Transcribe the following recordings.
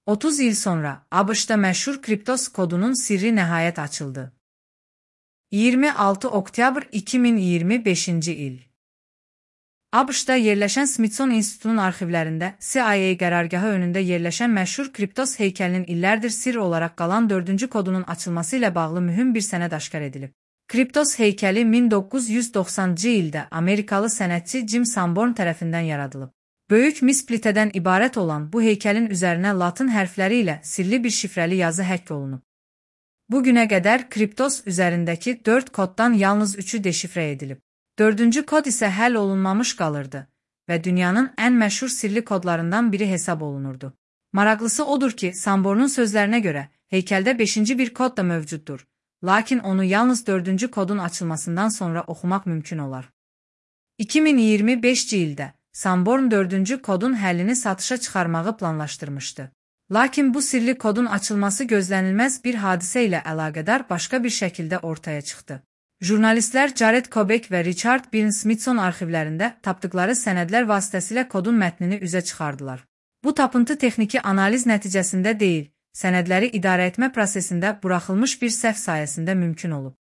30 il sonra ABŞ-da məşhur Kriptos kodunun sirri nəhayət açıldı. 26 oktyabr 2025-ci il. ABŞ-da yerləşən Smithsonian İnstitutunun arxivlərində CIA qərargahı önündə yerləşən məşhur Kriptos heykəlinin illərdir sir olaraq qalan 4-cü kodunun açılması ilə bağlı mühüm bir sənəd aşkar edilib. Kriptos heykəli 1990-cı ildə Amerikalı sənətçi Jim Sanborn tərəfindən yaradılıb. Böyük mis plitədən ibarət olan bu heykəlin üzərinə latın hərfləri ilə sirli bir şifrəli yazı həkk olunub. Bu günə qədər Kriptos üzərindəki 4 koddan yalnız 3-ü deşifrə edilib. 4-cü kod isə həll olunmamış qalırdı və dünyanın ən məşhur sirli kodlarından biri hesab olunurdu. Maraqlısı odur ki, Sanbornun sözlərinə görə heykəldə 5-ci bir kod da mövcuddur, lakin onu yalnız 4-cü kodun açılmasından sonra oxumaq mümkün olar. 2025-ci ildə Sanborn 4-cü kodun həllini satışa çıxarmağı planlaşdırmışdı. Lakin bu sirli kodun açılması gözlənilməz bir hadisə ilə əlaqədar başqa bir şəkildə ortaya çıxdı. Jurnalistlər Jared Kobek və Richard Byrne Smithson arxivlərində tapdıqları sənədlər vasitəsilə kodun mətnini üzə çıxardılar. Bu tapıntı texniki analiz nəticəsində deyil, sənədləri idarəetmə prosesində buraxılmış bir səhv sayəsində mümkün olub.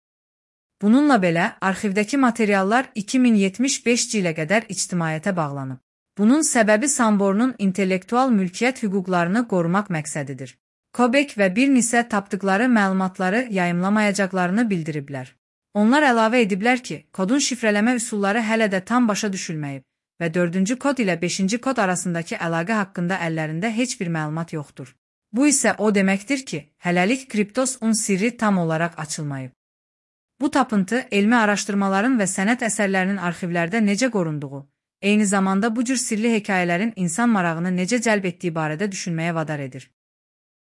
Bununla belə, arxivdəki materiallar 2075-ci ilə qədər ictimaiyyətə bağlanıb. Bunun səbəbi Sanbornun intellektual mülkiyyət hüquqlarını qorumaq məqsədidir. Kobek və Byrne isə tapdıqları məlumatları yayımlamayacaqlarını bildiriblər. Onlar əlavə ediblər ki, kodun şifrələmə üsulları hələ də tam başa düşülməyib və 4-cü kod ilə 5-ci kod arasındakı əlaqə haqqında əllərində heç bir məlumat yoxdur. Bu isə o deməkdir ki, hələlik Kriptosun sirri tam olaraq açılmayıb. Bu tapıntı elmi araşdırmaların və sənət əsərlərinin arxivlərdə necə qorunduğu, eyni zamanda bu cür sirli hekayələrin insan marağını necə cəlb etdiyi barədə düşünməyə vadar edir.